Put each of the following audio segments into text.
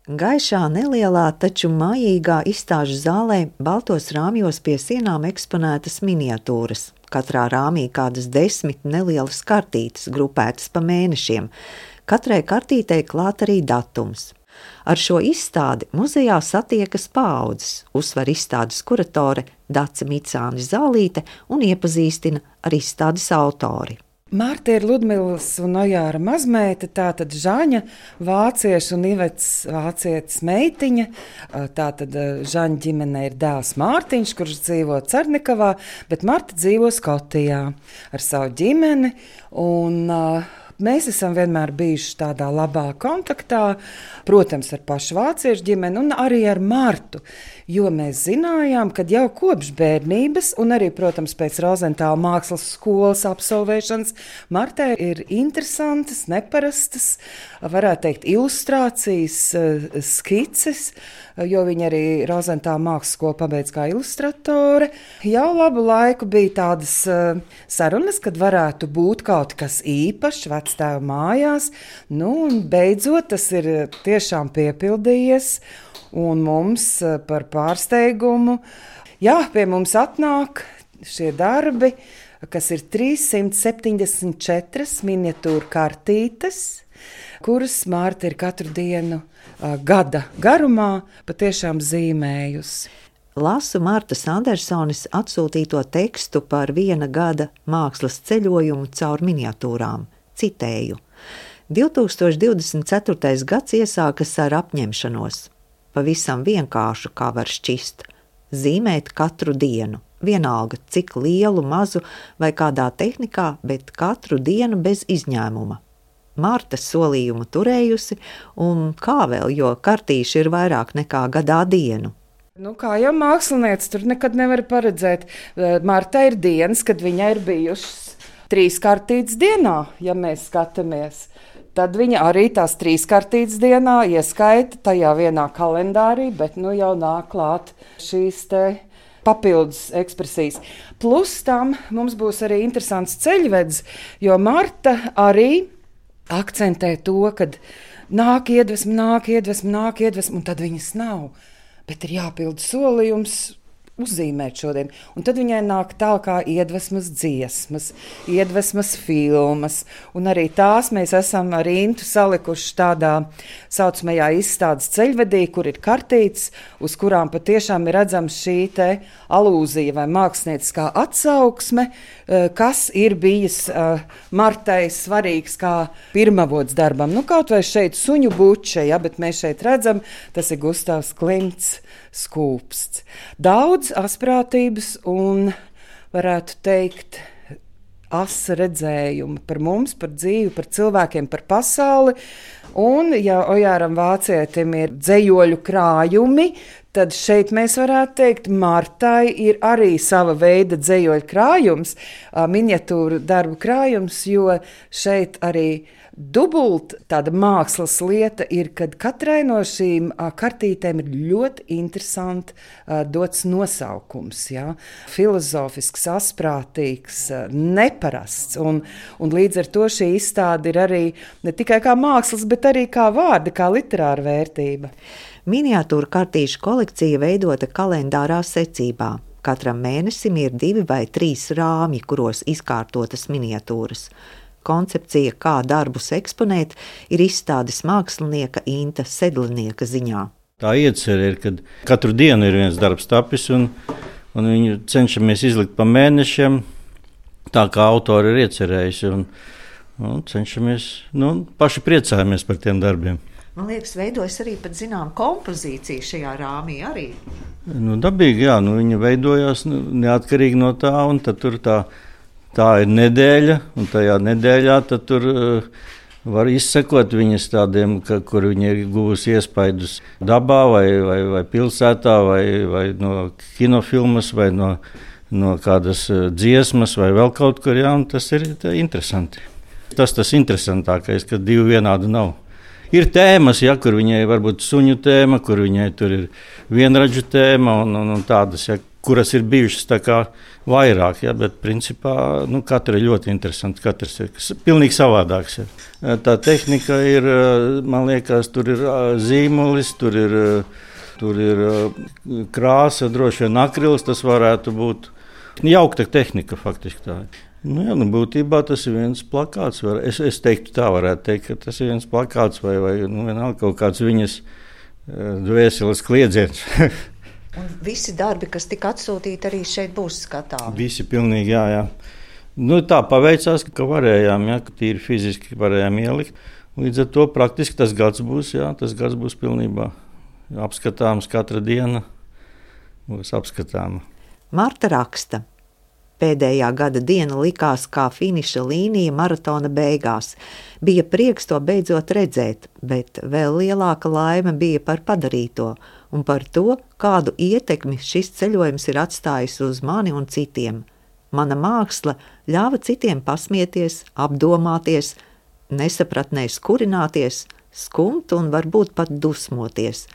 Gaišā, nelielā, taču mājīgā izstāžu zālē baltos rāmjos pie sienām eksponētas miniatūras. Katrā rāmī kādas 10 nelielas kartītes, grupētas pa mēnešiem. Katrai kartītei klāt arī datums. Ar šo izstādi muzejā satiekas paaudzes, uzsver izstādes kuratore Dace Micāne Zālīte un iepazīstina ar izstādes autori. Marta ir Ludmilas un Ojāra mazmeita, tātad Žaņa vācieša un Ivets vācietes meitiņa. Tātad Žaņa ģimenē ir dēls Mārtiņš, kurš dzīvo Cernikavā, bet Marta dzīvo Skotijā ar savu ģimeni. Mēs esam vienmēr bijuši tādā labā kontaktā, protams, ar pašu vāciešu ģimeni un arī ar Martu, jo mēs zinājām, ka jau kopš bērnības un arī, protams, pēc Rozentāla mākslas skolas absolvēšanas Martai ir interesantas, neparastas, varētu teikt, ilustrācijas, skices, jo viņa arī Rozentāla mākslas skolu pabeidz kā ilustratore. Jau labu laiku bija tādas sarunas, kad varētu būt kaut kas īpašs vectēva mājās, un beidzot tas ir tiešām piepildījies, un mums par pārsteigumu, pie mums atnāk šie darbi, kas ir 374 miniatūra kartītes, kuras Marta ir katru dienu gada garumā patiešām zīmējusi. Lasu Martas Andersones atsūtīto tekstu par viena gada mākslas ceļojumu caur miniatūrām. Citēju: 2024. gads iesākas ar apņemšanos. Pavisam vienkāršu, kā var šķist. Zīmēt katru dienu. Vienalga, cik lielu, mazu vai kādā tehnikā, bet katru dienu bez izņēmuma. Marta solījumu turējusi, un kā vēl, jo kartīši ir vairāk nekā gadā dienu. Kā jau mākslinieci, tur nekad nevar paredzēt. Marta ir dienas, kad viņai ir bijušas 3 kartītes dienā, ja mēs skatāmies. Tad viņa arī tās 3 kartītes dienā ieskaita tajā vienā kalendārī, bet jau nāk klāt šīs te papildus ekspresijas. Plus tam mums būs arī interesants ceļvedis, jo Marta arī akcentē to, kad nāk iedvesma, un tad viņas nav. Bet ir jāpild solījums uzzīmēt šodien. Un tad viņai nāk tā kā iedvesmas dziesmas, iedvesmas filmas, un arī tās mēs esam ar Intu salikuši tādā saucamajā izstādes ceļvedī, kur ir kartītes, uz kurām patiešām ir redzams šī te alūzija vai mākslinieckā atsauksme, kas ir bijis Martai svarīgs kā pirmavots darbam. Kaut vai šeit suņu buče, bet mēs šeit redzam, tas ir Gustavs Klimts skūpsts. Daudz asprātības un, varētu teikt, asa redzējuma par mums, par dzīvi, par cilvēkiem, par pasauli. Un, ja Ojāram vācietim ir dzejoļu krājumi, tad šeit mēs varētu teikt, Martai ir arī sava veida dzejoļu krājums, miniatūru darbu krājums, jo šeit arī dubult tāda mākslas lieta ir, kad katrai no šīm kartītēm ir ļoti interesanti dots nosaukums. Filozofisks, asprātīgs, neparasts. Un līdz ar to šī izstāde ir arī ne tikai kā mākslas, bet arī kā vārda, kā literāra vērtība. Miniatūra kartīšu kolekcija veidota kalendārā secībā. Katram mēnesim ir 2 vai 3 rāmji, kuros izkārtotas miniatūras. Koncepcija, kā darbus eksponēt, ir izstādes mākslinieka Inta Sedlinieka ziņā. Tā iecerē ir, kad katru dienu ir viens darbs tapis, un viņu cenšamies izlikt pa mēnešiem, tā kā autori ir iecerējusi, un cenšamies, paši priecājamies par tiem darbiem. Man liekas, veidojas arī pat zinām kompozīcija šajā rāmī arī. Dabīgi, viņa veidojās neatkarīgi no tā, un tad tur tā ir nedēļa, un tajā nedēļā tad tur var izsekot viņas tādiem, kur viņi ir guvusi iespaidus dabā vai pilsētā, vai no kinofilmas, vai no kādas dziesmas, vai vēl kaut kur, un tas ir interesanti. Tas interesantākais, ka 2 vienādi nav. Ir tēmas, kur viņai varbūt suņu tēma, kur viņai tur ir vienradžu tēma un tādas, kuras ir bijušas tā kā vairāk, ja, bet principā katra ir ļoti interesanta, katrs ir pilnīgi savādāks. Ja. Tā tehnika ir, man liekas, tur ir zīmulis, tur ir krāsa, droši vien akrils, tas varētu būt jaukta tehnika faktiski tā. Būtībā tas ir viens plakāts. Es teiktu tā, varētu teikt, ka tas ir viens plakāts vai vienalga kaut kāds viņas dvēseles kliedziens. Un visi darbi, kas tika atsūtīti, arī šeit būs skatāmi? Visi pilnīgi, jā. Tā paveicās, ka varējām, ka tīri fiziski varējām ielikt. Līdz ar to praktiski tas gads būs pilnībā apskatāms, katra diena būs apskatāma. Marta raksta. Pēdējā gada diena likās kā finiša līnija maratona beigās. Bija prieks to beidzot redzēt, bet vēl lielāka laime bija par padarīto un par to, kādu ietekmi šis ceļojums ir atstājis uz mani un citiem. Mana māksla ļāva citiem pasmieties, apdomāties, nesapratnēs kurināties, skumt un varbūt pat dusmoties,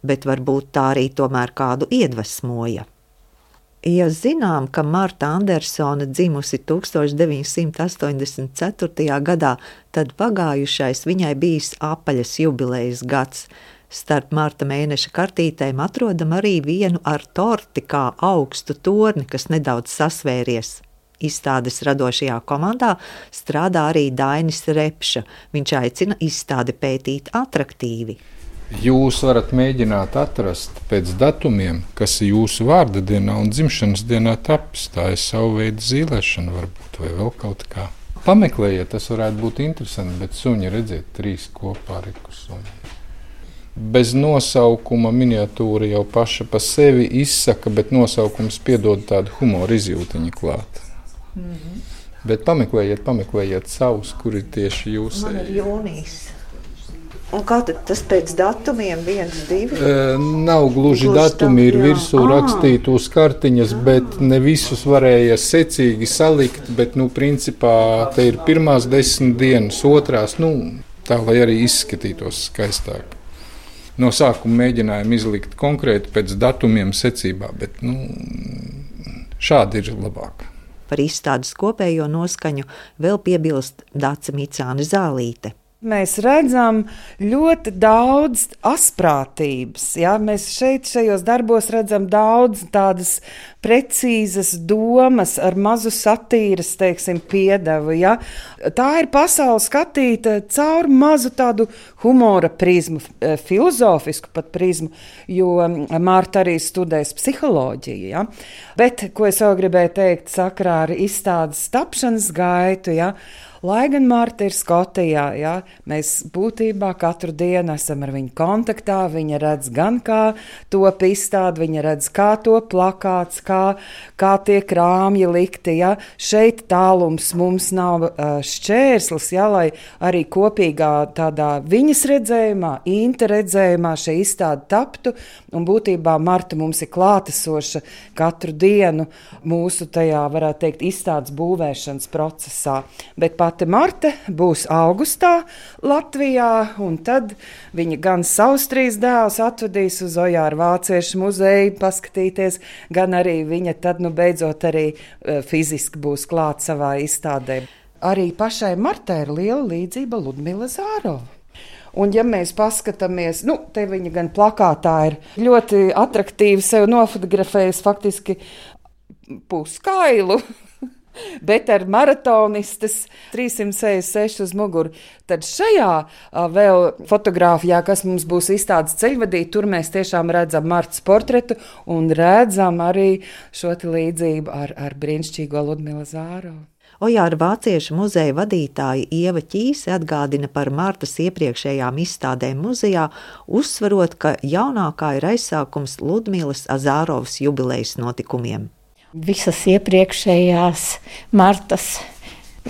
bet varbūt tā arī tomēr kādu iedvesmoja. Ja zinām, ka Marta Andersone dzimusi 1984. gadā, tad pagājušais viņai bijis apaļas jubilejas gads. Starp marta mēneša kartītēm atrodam arī vienu ar torti kā augstu torni, kas nedaudz sasvēries. Izstādes radošajā komandā strādā arī Dainis Repša. Viņš aicina izstādi pētīt atraktīvi. Jūs varat mēģināt atrast pēc datumiem, kas ir jūsu vārda dienā un dzimšanas dienā tapis. Tā ir savu veidu zīlēšana varbūt, vai vēl kaut kā. Pameklējiet, tas varētu būt interesanti, bet suņi redziet 3 kopā riku suņi. Bez nosaukuma miniatūra jau paša pa sevi izsaka, bet nosaukums piedod tādu humoru izjūtiņu klāt. Bet pameklējiet savus, kur ir tieši jūsu. Man ir jūnijas. Un kā tad tas pēc datumiem 1, 2? Nav gluži datumi, ir virsū rakstīti uz kartiņas, bet ne visus varēja secīgi salikt, bet, principā, te ir pirmās 10 dienas, otrās, tā, lai arī izskatītos skaistāk. No sākuma mēģinājām izlikt konkrēti pēc datumiem secībā, bet, šādi ir labāk. Par izstādes kopējo noskaņu vēl piebilst Dace Micāne Zālīte. Mēs redzam ļoti daudz asprātības. Ja? Mēs šajos darbos redzam daudz tādas precīzas domas ar mazu satīras, piedevu. Ja? Tā ir pasaule skatīta caur mazu tādu humora prizmu, filozofisku pat prizmu, jo Marta arī studēs psiholoģiju. Ja? Bet, ko es vēl gribēju teikt sakarā ar izstādes tapšanas gaitu, ja? Lai gan Marta ir Skotijā, ja, mēs būtībā katru dienu esam ar viņu kontaktā, viņa redz gan kā top izstāde, viņa redz kā top plakāts, kā tiek rāmji likti, ja. Šeit tālums mums nav šķērslis, ja, lai arī kopīgā tādā viņas redzējumā, Inta redzējumā šī izstāde taptu, un būtībā Marta mums ir klātesoša katru dienu mūsu tajā, varētu teikt, izstādes būvēšanas procesā, bet pati Marta būs augustā Latvijā, un tad viņa gan savus 3 dēlus atvedīs uz Ojāra Vāciešu muzeju paskatīties, gan arī viņa tad beidzot arī fiziski būs klāt savā izstādē. Arī pašai Martai ir liela līdzība Ludmila Zārova. Un ja mēs paskatāmies, te viņa gan plakātā ir ļoti atraktīvi sev nofotografējis faktiski puskailu, bet ar maratonistas 366 uz muguru. Tad šajā vēl fotogrāfijā, kas mums būs izstādes ceļvadī, tur mēs tiešām redzam Martas portretu un redzam arī šo līdzību ar brīnišķīgo Ludmilu Zārovu. Ojāra Vāciešu muzeja vadītāja Ieva Ķīse atgādina par Martas iepriekšējām izstādēm muzejā, uzsverot, ka jaunākā ir aizsākums Ludmilas Zārovas jubilejas notikumiem. Visas iepriekšējās Martas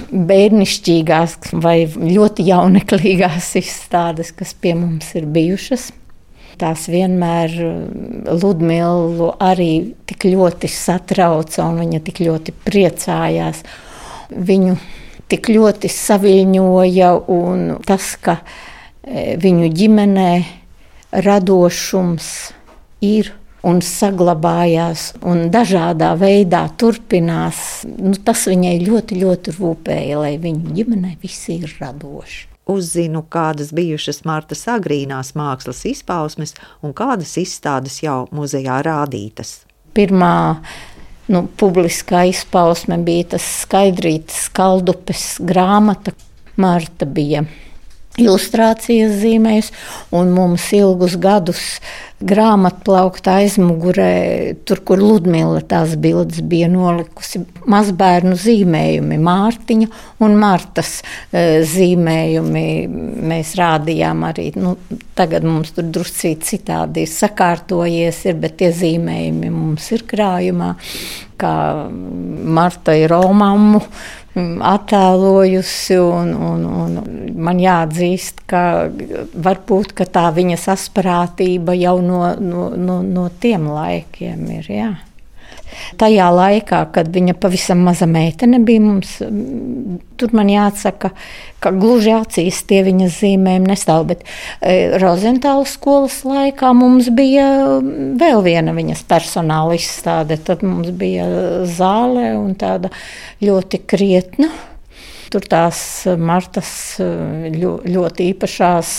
bērnišķīgās vai ļoti jauneklīgās izstādes, kas pie mums ir bijušas, tās vienmēr Ludmilu arī tik ļoti satrauca un viņa tik ļoti priecājās. Viņu tik ļoti saviļņoja, un tas, ka viņu ģimenē radošums ir un saglabājās, un dažādā veidā turpinās. Tas viņai ļoti, ļoti rūpēja, lai viņu ģimenei visi ir radoši. Uzzinu, kādas bijušas Martas agrīnās mākslas izpausmes un kādas izstādes jau muzejā rādītas. Pirmā publiskā izpausme bija tas Skaidrītes Skaldupes grāmata. Marta bija ilustrācijas zīmējus, un mums ilgus gadus grāmatplaukta aizmugurē, tur, kur Ludmila tās bildes bija nolikusi, mazbērnu zīmējumi, Mārtiņa un Martas zīmējumi. Mēs rādījām arī, tagad mums tur druscīt citādi ir sakārtojies, bet tie zīmējumi mums ir krājumā, kā Marta ir Romammu attēlojusi, un man jāatzīst, ka varbūt ka tā viņas asprātība jau no tiem laikiem ir. Jā. Tajā laikā, kad viņa pavisam maza meitene bija mums, tur man jāatsaka, ka gluži acīs tie viņas zīmējumi nestāv, bet Rozentāla skolas laikā mums bija vēl viena viņas personāla izstāde. Tad mums bija zāle un tāda ļoti krietna. Tur tās Martas ļoti īpašās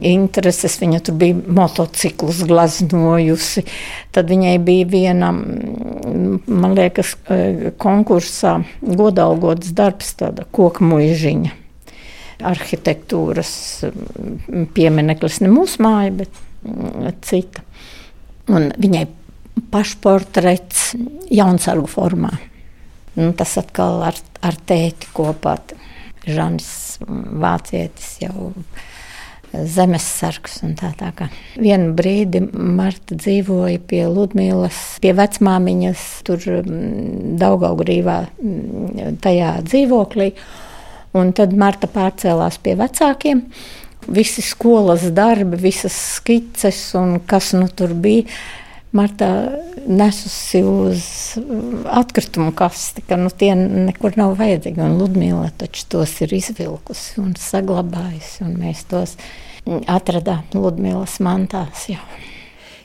intereses. Viņa tur bija motociklus glaznojusi. Tad viņai bija viena, man liekas, konkursā godalgots darbs, tāda koka muižiņa. Arhitektūras piemineklis, ne mūsu māja, bet cita. Un viņai pašportrets Jaunsargu formā. Tas atkal ar tēti kopā. Žanis vācietis jau zemessargs un tā kā. Vienu brīdi Marta dzīvoja pie Ludmilas, pie vecmāmiņas, tur Daugavgrīvā tajā dzīvoklī. Un tad Marta pārcēlās pie vecākiem. Visi skolas darbi, visas skices un kas tur bija. Marta nesusi uz atkritumu kasti, ka tie nekur nav vajadzīgi. Un Ludmila taču tos ir izvilkusi un saglabājusi, un mēs tos atradām Ludmilas mantās jau.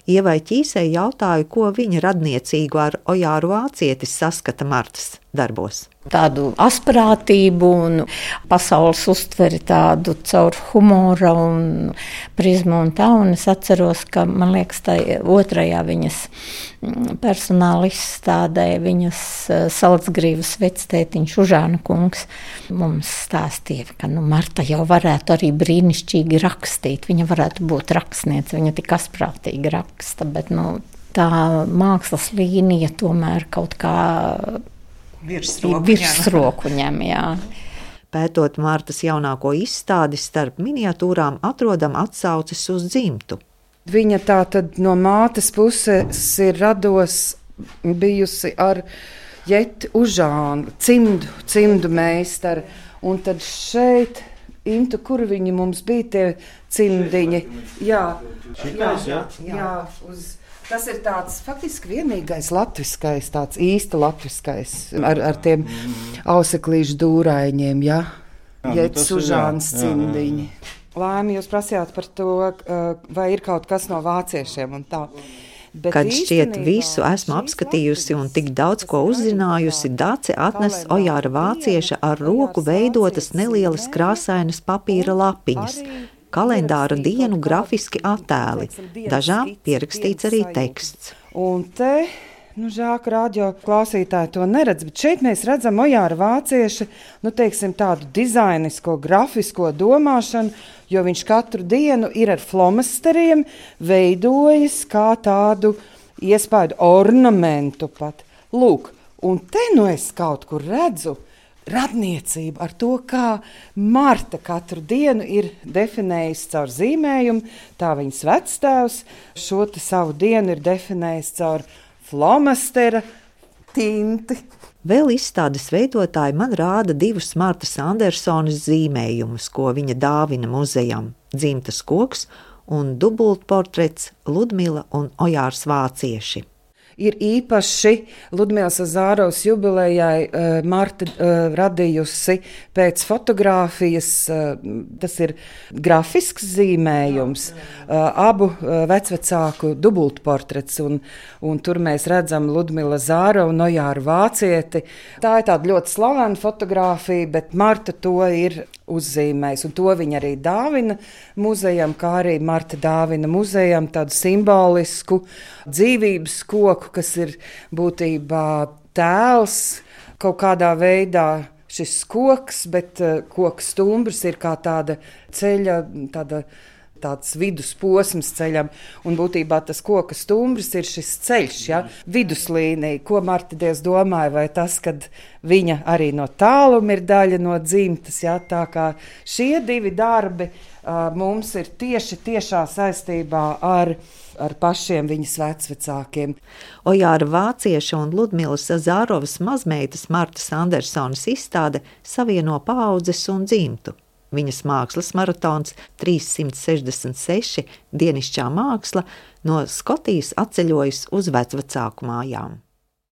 Ievai Ķīsei jautāju, ko viņa radniecīgu ar Ojāru Vācietis saskata Martas darbos. Tādu asprātību un pasaules uztveri tādu caur humora un prizmu un tā. Un es atceros, ka, man liekas, tā otrajā viņas personāla izstādē, viņas Salcgrīvas vectētiņš Užāna kungs mums stāstīja, ka Marta jau varētu arī brīnišķīgi rakstīt. Viņa varētu būt rakstniece, viņa tik asprātīgi raksta, bet tā mākslas līnija tomēr kaut kā virsroku ņem, jā. Pētot Martas jaunāko izstādi, starp miniatūrām atrodam atsauces uz dzimtu. Viņa tā tad no mātes puses ir rados bijusi ar Jeti Užānu, cimdu meistaru. Un tad šeit, Intu, kur viņi mums bija tie cimdiņi? Jā. Tas ir tāds faktiski vienīgais latviskais, tāds īsta latviskais, ar tiem auseklīšu dūraiņiem, jā. Jets Užāns cimdiņi. Laimi, jūs prasījāt par to, vai ir kaut kas no vāciešiem un tā. Bet kad šķiet visu esmu apskatījusi un tik daudz ko uzzinājusi, Dace atnes Ojāra Vācieša ar roku veidotas nelielas krāsainas papīra lapiņas. Kalendāra dienu grafiski attēli, dažām pierakstīts arī teksts. Un te, žēl, ka radio klausītāji to neredz, bet šeit mēs redzam Ojāra Vācieša, tādu dizainisko, grafisko domāšanu, jo viņš katru dienu ir ar flomasteriem veidojis kā tādu iespaidu ornamentu pat. Lūk, un te es kaut kur redzu radniecību ar to, kā Marta katru dienu ir definējusi caur zīmējumu, tā viņas vectēvs šo savu dienu ir definējis caur flomastera tinti. Vēl izstādes veidotāji man rāda divus Martas Andersonas zīmējumus, ko viņa dāvina muzejam – dzimtas koks un dubultportrets Ludmila un Ojārs Vācieši. ir īpaši Ludmīlas Zārovas jubilejai Marta radījusi pēc fotogrāfijas, tas ir grafisks zīmējums, abu vecvecāku dubultportrets, un tur mēs redzam Ludmīlu Zārovu un Ojāru Vācieti. Tā ir tāda ļoti slavena fotogrāfija, bet Marta to ir uzzīmējis, un to viņa arī dāvina muzejam, kā arī Marta dāvina muzejam tādu simbolisku dzīvības koku, kas ir būtībā tēls kaut kādā veidā šis koks, bet koka stumbrs ir kā tāda ceļa, tāds vidusposms ceļam, un būtībā tas koka stumbrs ir šis ceļš, ja? Viduslīnija. Ko Marta Dievs domāja, vai tas, kad viņa arī no tāluma ir daļa no dzimtas, ja? Tā kā šie divi darbi mums ir tiešā saistībā ar pašiem viņas vecvecākiem. Ojāra Vācieša un Ludmīlas Zārovas mazmeitas Martas Andersonas izstāde savieno paaudzes un dzimtu. Viņas mākslas maratons 366 dienišķā māksla no Skotijas atceļojas uz vecvecāku mājām.